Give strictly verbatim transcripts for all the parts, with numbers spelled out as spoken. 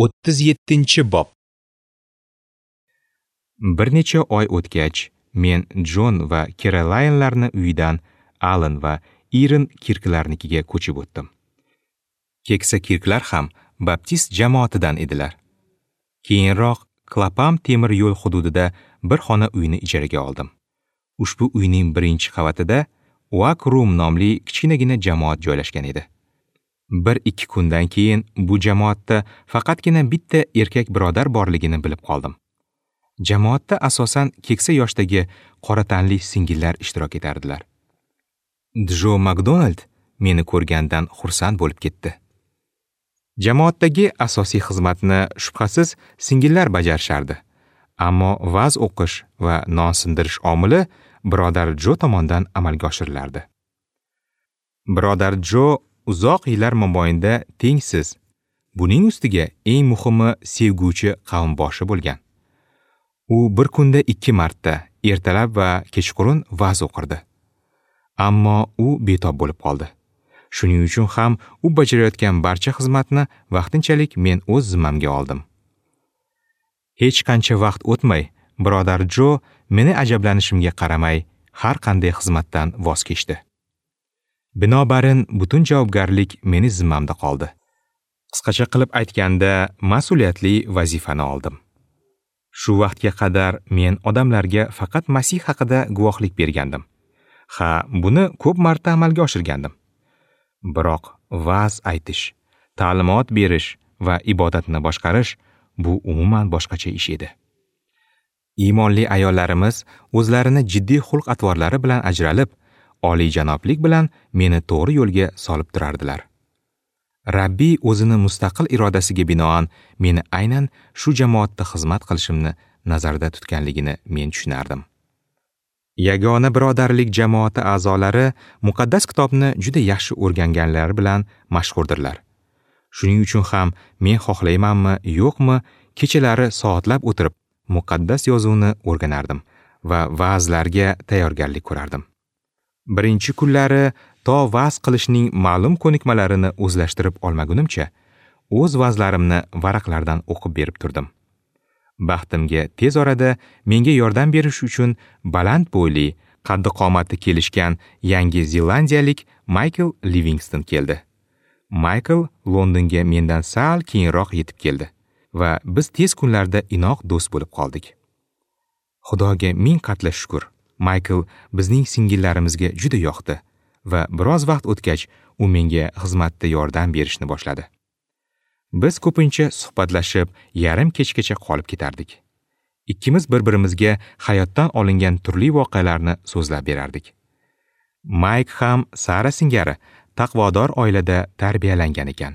O'ttiz yettinchi bob. Bir necha oy o'tgach, men Jon va Kerolaynlarni uyidan Alan va Irin Kirklarnikiga ko'chib o'tdim. Keksa Kirklar ham baptist jamoatidan edilar. Keyinroq Klapam temir yo'l hududida bir xona uyni ijaraga oldim. Ushbu uyning birinchi qavatida Oak Room nomli kichkinagina jamoat joylashgan edi. Bir ikki kundan keyin bu jamoatda faqatgina bitta erkak birodar borligini bilib qoldim. Jamoatda asosan keksa yoshdagi qora tanli singillar ishtirok etardilar. Jo Makdonald meni ko'rgandan xursand bo'lib ketdi. Jamoatdagi asosiy xizmatni shubhasiz singillar bajarishardi. Ammo va'z o'qish va non sindirish omili birodar Jo tomonidan amalga oshirilardi. Birodar Jo uzoq yillar mobaynida tengsiz, buning ustiga eng muhimi sevguvchi qavmboshi bo'lgan. U bir kunda ikki marta, ertalab va kechqurun va'z o'qirdi. Ammo u betob bo'lib qoldi. Shuning uchun ham u bajarayotgan barcha xizmatni vaqtinchalik men o'z zimmamga oldim. Hech qancha vaqt o'tmay, birodar Jo meni ajablanishimga qaramay har qanday xizmatdan voz kechdi. Binobarin butun javobgarlik meni zimmamda qoldi. Qisqacha qilib aytganda, mas'uliyatli vazifani oldim. Shu vaqtga qadar men odamlarga faqat Masih haqida guvohlik bergandim. Ha, buni ko'p marta amalga oshirgandim. Biroq va'z aytish, ta'limot berish va ibodatni boshqarish bu umuman boshqacha ish edi. Iymonli ayollarimiz o'zlarini jiddiy xulq-atvorlari bilan ajralib, oliyjanoblik bilan meni to'g'ri yo'lga solib turardilar. Rabbiy o'zini mustaqil irodasiga binoan meni aynan shu jamoatda xizmat qilishimni nazarda tutganligini men tushunardim. Yagona birodarlik jamoati a'zolari muqaddas kitobni juda yaxshi o'rganganlari bilan mashhurdirlar. Shuning uchun ham men xohlaymanmi, yo'qmi, kechalari soatlab o'tirib muqaddas yozuvni o'rganardim va va'zlarga tayyorgarlik ko'rardim. Birinchi kunlari to va'z qilishning ma'lum ko'nikmalarini o'zlashtirib olmagunimcha, o'z va'zlarimni varaqlardan o'qib berib turdim. Baxtimga tez orada menga yordam berish uchun baland bo'yli, qaddi qomati kelishgan Yangi Zelandiyalik Maykl Livingston keldi. Maykl Londonga mendan sal keyinroq yetib keldi va biz tez kunlarda inoq do'st bo'lib qoldik. Xudoga ming qatla shukr. Maykl bizning singillarimizga juda yoqdi va biroz vaqt o'tgach u menga xizmatda yordam berishni boshladi. Biz ko'pincha suhbatlashib, yarim kechgacha qolib ketardik. Ikkimiz bir-birimizga hayotdan olingan turli voqealarni so'zlab berardik. Mayk ham Sara singari taqvodor oilada tarbiyalangan ekan.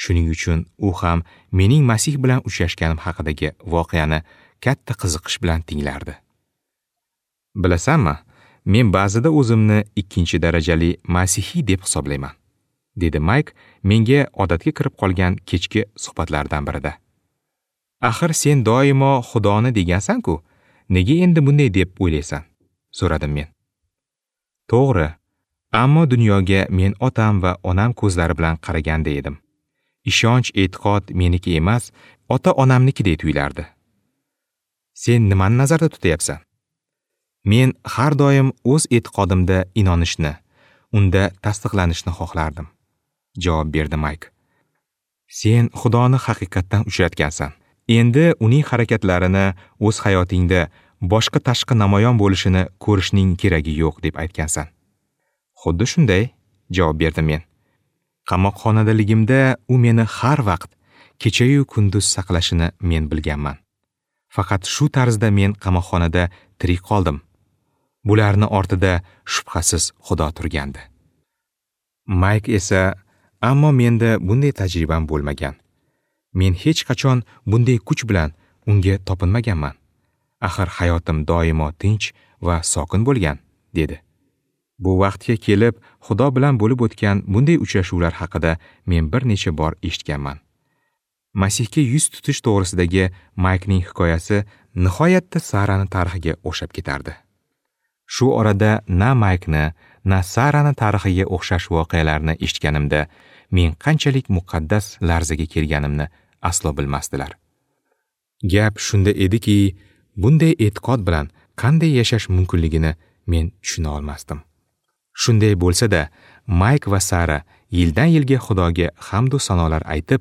Shuning uchun u ham mening Masih bilan uchrashganim haqidagi voqeani katta qiziqish bilan tinglardi. Bilasanmi, men ba'zida o'zimni ikkinchi darajali masihiy deb hisoblayman, dedi Mayk menga odatga kirib qolgan kechki suhbatlardan birida. Axir sen doimo Xudoni degansan-ku, nega endi bunday deb o'ylaysan? So'radim men. To'g'ri, ammo dunyoga men otam va onam ko'zlari bilan qaraganda edim. Ishonch, e'tiqod meniki emas, ota-onamnikidek tuyulardi. Sen nimani nazarda tutyapsan? Men har doim o'z e'tiqodimda inonishni, unda tasdiqlanishni xohlardim, javob berdi Mayk. Sen Xudoni haqiqatdan uchratgansan. Endi uning harakatlarini o'z hayotingda boshqa tashqi namoyon bo'lishini ko'rishning keragi yo'q deb aytgansan. Xuddi shunday, javob berdim men. Qamoqxonadaligimda u meni har vaqt kecha-yu kunduz saqlashini men bilganman. Faqat shu tarzda men qamoqxonada tirik qoldim. Bularni ortida shubhasiz Xudo turgandi. Mayk esa, ammo menda bunday tajribam bo'lmagan. Men hech qachon bunday kuch bilan unga topinmaganman. Axir hayotim doimo tinch va sokin bo'lgan, dedi. Bu vaqtga kelib Xudo bilan bo'lib o'tgan bunday uchrashuvlar haqida men bir necha bor eshitganman. Masihga yuz tutish to'g'risidagi Maykning hikoyasi nihoyatda Sarani tarixiga o'xshab ketardi. Shu orada na Maykni, na Sarani tarixiga o'xshash voqealarni eshitganimda men qanchalik muqaddas larzaga kelganimni aslo bilmasdilar. Gap shunda ediki, bunday e'tiqod bilan qanday yashash mumkinligini men tushuna olmasdim. Shunday bo'lsa-da, Mayk va Sara yildan yilga Xudoga hamd va sanolar aytib,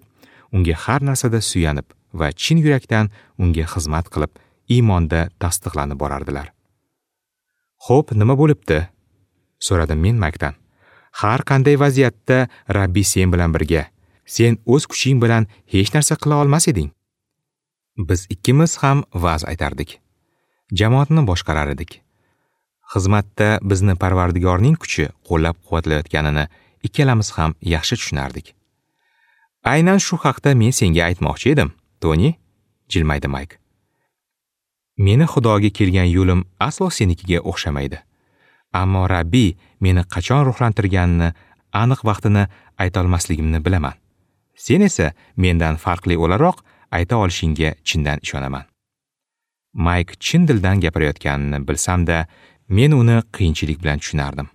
unga har narsada suyanib va chin yurakdan unga xizmat qilib, iymonda tasdiqlanib borardilar. "Xo'p, nima bo'libdi?" so'radim men Maykdan. "Har qanday vaziyatda Rabbiy sen bilan birga. Sen o'z kuching bilan hech narsa qila olmas eding." Biz ikkimiz ham va'z aytardik. Jamoatni boshqarar edik. Xizmatda bizni Parvardigorning kuchi qo'llab-quvvatlayotganini ikkalamiz ham yaxshi tushunardik. "Aynan shu haqda men senga aytmoqchi edim, Toni," jilmaydi Mayk. "Meni Xudoga kelgan yo'lim aslo senikiga o'xshamaydi. Ammo Rabbiy meni qachon ruhlantirganini, aniq vaqtini aytolmasligimni bilaman. Sen esa mendan farqli o'laroq ayta olishingga chindan ishonaman." Mayk chin dildan gapirayotganini bilsam-da, men uni qiyinchilik bilan tushunardim.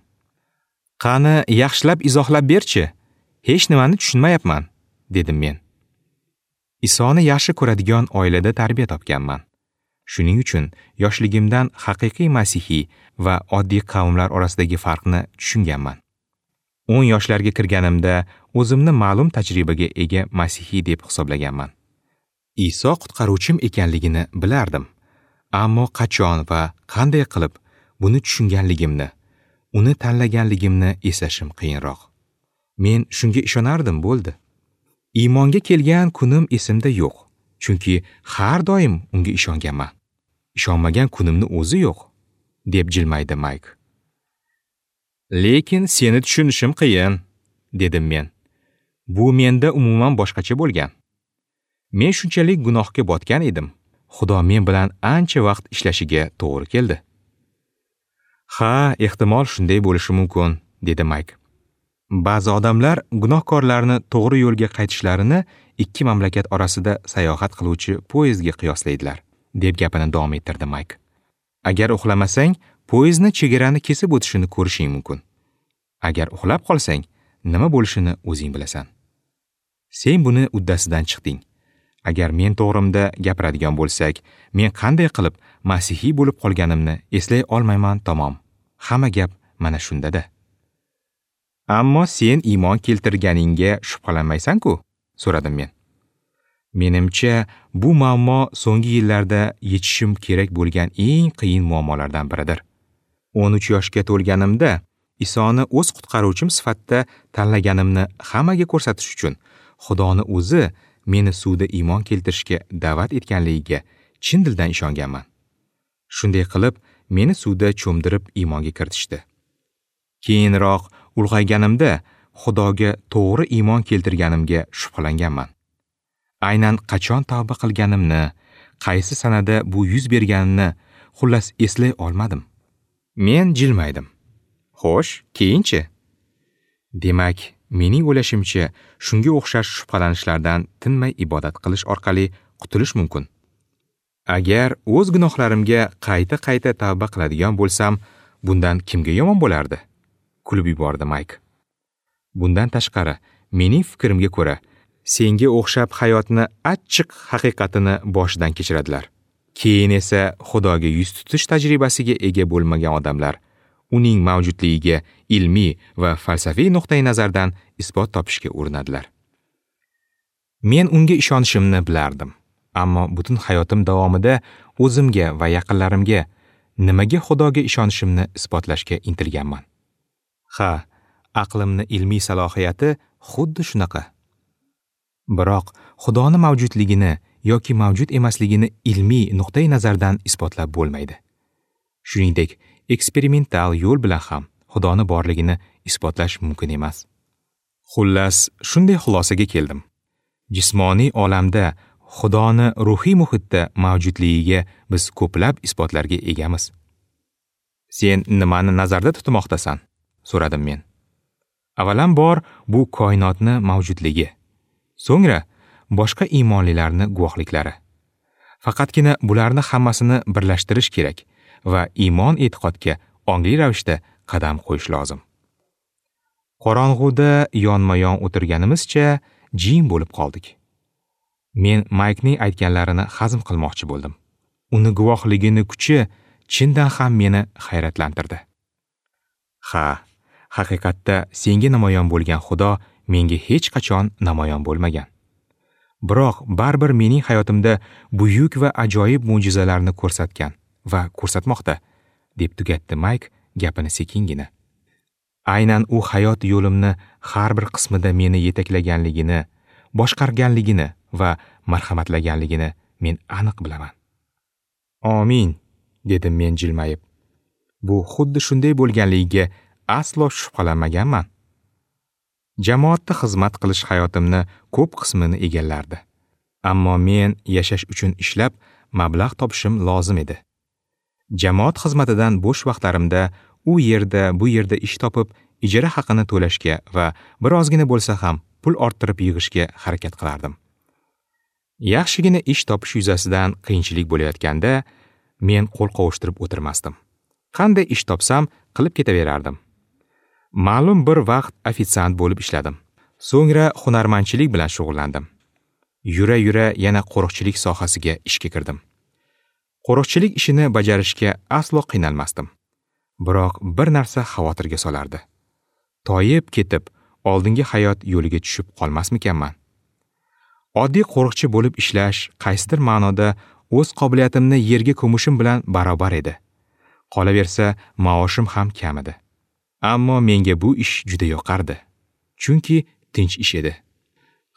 "Qani, yaxshilab izohlab berchi. Hech nimani tushunmayapman," dedim men. Isoni yaxshi ko'radigan oilada tarbiya topganman. Shuning uchun yoshligimdan haqiqiy masihiy va oddiy qavmlar orasidagi farqni tushunganman. o'n yoshlarga kirganimda o'zimni ma'lum tajribaga ega masihiy deb hisoblaganman. Iso qutqaruvchim ekanligini bilardim. Ammo qachon va qanday qilib buni tushunganligimni, uni tanlaganligimni eslashim qiyinroq. Men shunga ishonardim, bo'ldi. Iymonga kelgan kunim esimda yo'q, chunki har doim unga ishonganman. Ishonmagan kunimni o'zi yo'q, deb jilmaydi Mayk. "Lekin seni tushunishim qiyin," dedim men. "Bu menda umuman boshqacha bo'lgan. Men shunchalik gunohga botgan edim. Xudo men bilan ancha vaqt ishlashiga to'g'ri keldi." "Ha, ehtimol shunday bo'lishi mumkin," dedi Mayk. "Ba'zi odamlar gunohkorlarni to'g'ri yo'lga qaytishlarini ikki mamlakat orasida sayohat qiluvchi poyezdga qiyoslaydilar," deb gapini davom ettirdi Mayk. "Agar uxlamasang, poyezdni chegarani kesib o'tishini ko'rishing mumkin. Agar uxlab qolsang, nima bo'lishini o'zing bilasan. Sen buni uddasidan chiqding. Agar men to'g'rimda gapiradigan bo'lsak, men qanday qilib masihiy bo'lib qolganimni eslay olmayman tamom. Hamma gap mana shunda-da." "Ammo sen iymon keltirganingga shubhalanmaysan-ku?" so'radim men. Menimcha, bu muammo so'nggi yillarda yechishim kerak bo'lgan eng qiyin muammolardan biridir. o'n uch yoshga to'lganimda Isoni o'z qutqaruvchim sifatida tanlaganimni hammaga ko'rsatish uchun Xudoni o'zi meni suvda iymon keltirishga da'vat etganligiga chin dildan ishonganman. Shunday qilib, meni suvda cho'mdirib iymonga kiritishdi. Keyinroq ulg'ayganimda Xudoga to'g'ri iymon keltirganimga shubhalanganman. Aynan qachon tavba qilganimni, qaysi sanada bu yuz berganini xullas eslay olmadim. Men jilmaydim. "Xo'sh, keyinchi?" Demak, mening o'ylashimcha, shunga o'xshash shubhalanishlardan tinmay ibodat qilish orqali qutulish mumkin. Agar o'z gunohlarimga qayta-qayta tavba qiladigan bo'lsam, bundan kimga yomon bo'lardi? Kulib yubordi Mayk. Bundan tashqari, mening fikrimga ko'ra, senga o'xshab hayotni achchiq haqiqatini boshidan kechiradilar. Keyin esa Xudoga yuz tutish tajribasiga ega bo'lmagan odamlar uning mavjudligiga ilmiy va falsafiy nuqtai nazardan isbot topishga urinadilar. Men unga ishonishimni bilardim, ammo butun hayotim davomida o'zimga va yaqinlarimga nimaga Xudoga ishonishimni isbotlashga intilganman. Ha, aqlimni ilmiy salohiyati xuddi shunaqa. Biroq Xudoni mavjudligini yoki mavjud emasligini ilmiy nuqtai nazardan isbotlab bo'lmaydi. Shuningdek, eksperimental yo'l bilan ham Xudoni borligini isbotlash mumkin emas. Xullas, shunday xulosaga keldim. Jismoniy olamda Xudoni ruhiy muhitda mavjudligiga biz ko'plab isbotlarga egamiz. Sen nimani nazarda tutmoqdasan? So'radim men. Avvalambor bu koinotni mavjudligi. So'ngra boshqa iymonlilarni guvohliklari. Faqatgina bularni hammasini birlashtirish kerak va iymon e'tiqodga ongli ravishda qadam qo'yish lozim. Qorong'uda yonma-yon o'tirganimizcha jim bo'lib qoldik. Men Maykning aytganlarini hazm qilmoqchi bo'ldim. Uni guvohligini kuchi chindan ham meni hayratlantirdi. Ha, haqiqatda senga namoyon bo'lgan Xudo menga hech qachon namoyon bo'lmagan. Biroq baribir mening hayotimda buyuk va ajoyib mo'jizalarni ko'rsatgan va ko'rsatmoqda, deb tugatdi Mayk gapini sekingina. Aynan u hayot yo'limni har bir qismida meni yetaklaganligini, boshqarganligini va marhamatlaganligini men aniq bilaman. Amin, dedim men jilmayib. Bu xuddi shunday bo'lganligiga aslo shubhalanmaganman. Jamoatda xizmat qilish hayotimni ko'p qismini egallardi. Ammo men yashash uchun ishlab mablag' topishim lozim edi. Jamoat xizmatidan bo'sh vaqtlarimda u yerda, bu yerda ish topib, ijara haqini to'lashga va birozgina bo'lsa ham pul orttirib yig'ishga harakat qilardim. Yaxshigina ish topish yuzasidan qiyinchilik bo'layotganda men qo'l qovushtirib o'tirmasdim. Qanday ish topsam qilib ketaverardim. Ma'lum bir vaqt ofitsiant bo'lib ishladim. So'ngra hunarmandchilik bilan shug'ullandim. Yura-yura yana qo'riqchilik sohasiga ishga kirdim. Qo'riqchilik ishini bajarishga aslo qiynalmasdim. Biroq bir narsa xavotirga solardi. Toyib ketib, oldingi hayot yo'liga tushib qolmasmikanman? Oddiy qo'riqchi bo'lib ishlash qaysidir ma'noda o'z qobiliyatimni yerga ko'mishim bilan barobar edi. Qolaversa, maoshim ham kam edi. Ammo menga bu ish juda yoqardi, chunki tinch ish edi.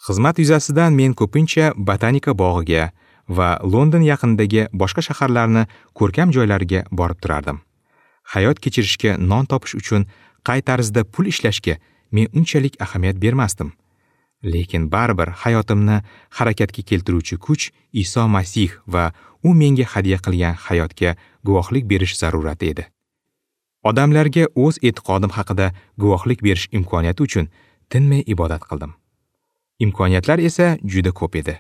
Xizmat yuzasidan men ko'pincha botanika bog'iga va London yaqinidagi boshqa shaharlarni ko'rkam joylariga borib turardim. Hayot kechirishga, non topish uchun qay tarzda pul ishlashga men unchalik ahamiyat bermasdim. Lekin baribir hayotimni harakatga keltiruvchi kuch Iso Masih va u menga hadya qilgan hayotga guvohlik berish zarurati edi. Odamlarga o'z e'tiqodim haqida guvohlik berish imkoniyati uchun tinmay ibodat qildim. Imkoniyatlar esa juda ko'p edi.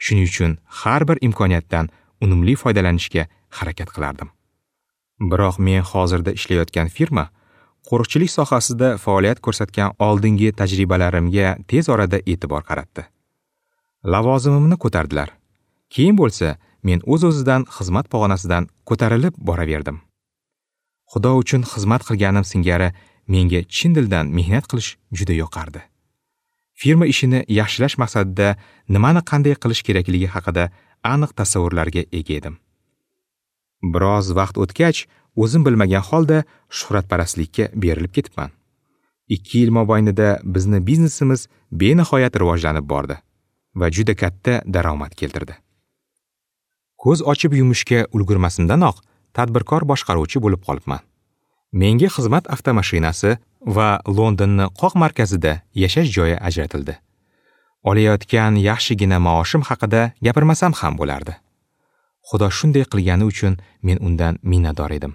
Shuning uchun har bir imkoniyatdan unumli foydalanishga harakat qilardim. Biroq men hozirda ishlayotgan firma qo'riqchilik sohasida faoliyat ko'rsatgan oldingi tajribalarimga tez orada e'tibor qaratdi. Lavozimimni ko'tardilar. Keyin bo'lsa, men o'z-o'zidan xizmat pog'onasidan ko'tarilib boraverdim. Xudo uchun xizmat qilganim singari menga chin dildan mehnat qilish juda yoqardi. Firma ishini yaxshilash maqsadida nimani qanday qilish kerakligi haqida aniq tasavvurlarga ega edim. Biroz vaqt o'tgach, o'zim bilmagan holda shuhratparastlikka berilib ketibman. Ikki yil mobaynida bizni biznesimiz benihoyat rivojlanib bordi va juda katta daromad keltirdi. Ko'z ochib yumishga ulgurmasimdanoq tadbirkor boshqaruvchi bo'lib qolibman. Menga xizmat avtomashinasi va Londonni qoq markazida yashash joyi ajratildi. Olayotgan yaxshigina maoshim haqida gapirmasam ham bo'lardi. Xudo shunday qilgani uchun men undan minnatdor edim.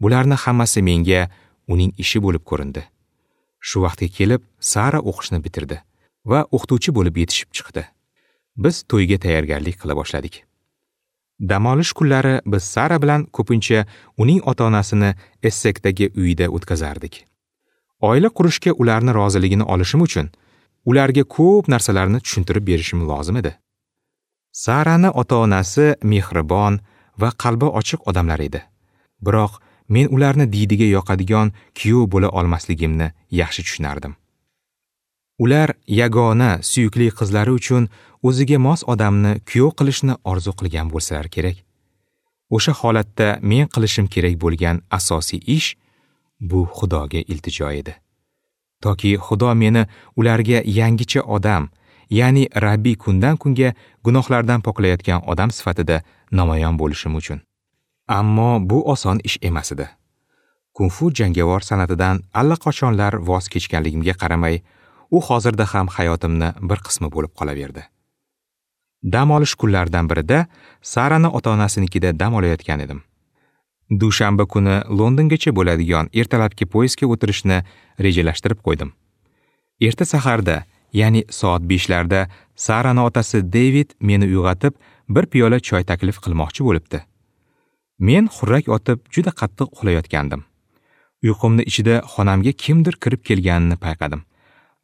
Bularni hammasi menga uning ishi bo'lib ko'rindi. Shu vaqtga kelib Sara o'qishni bitirdi va o'qituvchi bo'lib yetishib chiqdi. Biz to'yga tayyorgarlik qila boshladik. Dam olish kunlari biz Sara bilan ko'pincha uning ota-onasini Essekdagi uyida o'tkazardik. Oila qurishga ularni roziligini olishim uchun ularga ko'p narsalarni tushuntirib berishim lozim edi. Sarani ota-onasi mehribon va qalbi ochiq odamlar edi. Biroq men ularni diydiga yoqadigan kuyov bo'la olmasligimni yaxshi tushunardim. Ular yagona suyukli qizlari uchun o'ziga mos odamni kuyov qilishni orzu qilgan bo'lsalar kerak. O'sha holatda men qilishim kerak bo'lgan asosiy ish bu Xudoga iltijo edi. Toki Xudo meni ularga yangicha odam, ya'ni Rabbiy kundan kunga gunohlardan poklayotgan odam sifatida namoyon bo'lishim uchun. Ammo bu oson ish emas edi. Kung-fu jangovar san'atidan allaqachonlar voz kechganligimga qaramay, u hozirda ham hayotimni bir qismi bo'lib qolaverdi. Dam olish kunlaridan birida Sarani ota-onasinikida dam olayotgan edim. Dushanba kuni Londongacha bo'ladigan ertalabki poyezdga o'tirishni rejalashtirib qo'ydim. Erta saharda, ya'ni soat beshlarda Sarani otasi David meni uyg'otib, bir piyola choy taklif qilmoqchi bo'libdi. Men xurrak otib juda qattiq uxlayotgandim. Uyqumni ichida xonamga kimdir kirib kelganini payqadim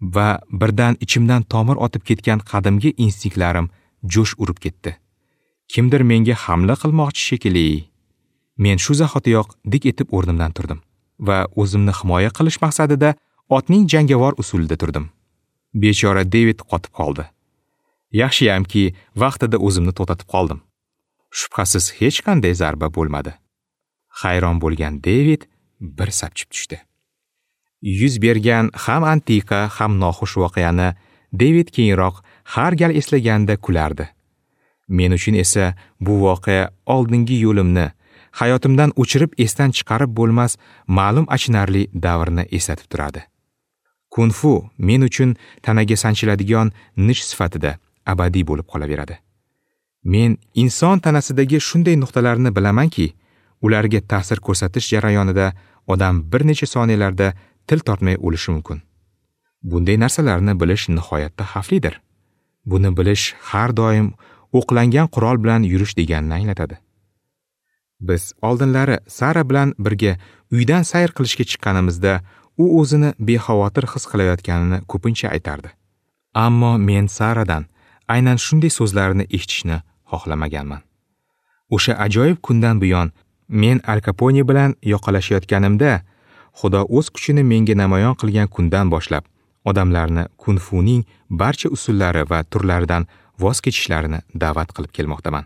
va birdan ichimdan tomir otib ketgan qadimgi instinktlarim jo'sh urib ketdi. Kimdir menga hamla qilmoqchi shekilli. Men shu zahotiyoq dik etib o'rnimdan turdim va o'zimni himoya qilish maqsadida otning jangovar usulida turdim. Bechora David qotib qoldi. Yaxshiyamki, vaqtida o'zimni to'xtatib qoldim. Shubhasiz hech qanday zarba bo'lmadi. Hayron bo'lgan David bir sapchib tushdi. Yuz bergan ham antiqa, ham noxush voqeani David keyinroq har gal eslaganda kulardi. Men uchun esa bu voqea oldingi yo'limni, hayotimdan o'chirib esdan chiqarib bo'lmas ma'lum achinarli davrni eslatib turadi. Kung-fu men uchun tanaga sanchiladigan nish sifatida abadiy bo'lib qolaveradi. Men inson tanasidagi shunday nuqtalarni bilamanki, ularga ta'sir ko'rsatish jarayonida odam bir necha soniyalarda til tortmay o'lishi mumkin. Bunday narsalarni bilish nihoyatda xavflidir. Buni bilish har doim o'qlangan qurol bilan yurish deganini anglatadi. Biz oldinlari Sara bilan birga uydan sayr qilishga chiqqanimizda u o'zini bexavotir his qilayotganini ko'pincha aytardi. Ammo men Saradan aynan shunday so'zlarni eshitishni xohlamaganman. O'sha ajoyib kundan buyon men Al Kapone bilan yoqalashayotganimda Xudo o'z kuchini menga namoyon qilgan kundan boshlab odamlarni kung-funing barcha usullari va turlaridan voz kechishlarini da'vat qilib kelmoqdaman.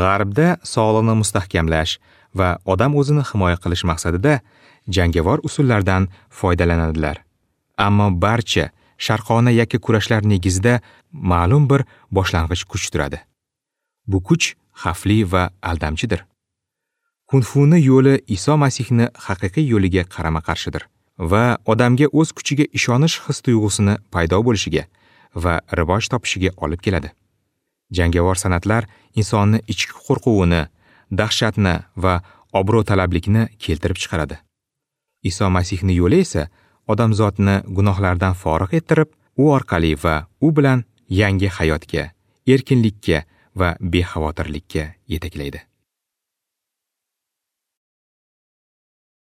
G'arbda sog'liqni mustahkamlash va odam o'zini himoya qilish maqsadida jangovar usullardan foydalanadilar. Ammo barcha sharqona yakka kurashlar negizida ma'lum bir boshlang'ich kuch turadi. Bu kuch xavfli va aldamchidir. Kung-funi yo'li Iso Masihni haqiqiy yo'liga qarama-qarshidir va odamga o'z kuchiga ishonish his tuyg'usini paydo bo'lishiga va rivoj topishiga olib keladi. Jangovar san'atlar insonni ichki qo'rquvini, dahshatni va obro' talablikni keltirib chiqaradi. Iso Masihning yo'li esa odamzodni gunohlardan forig' ettirib, u orqali va u bilan yangi hayotga, erkinlikka va bexavotirlikka yetaklaydi.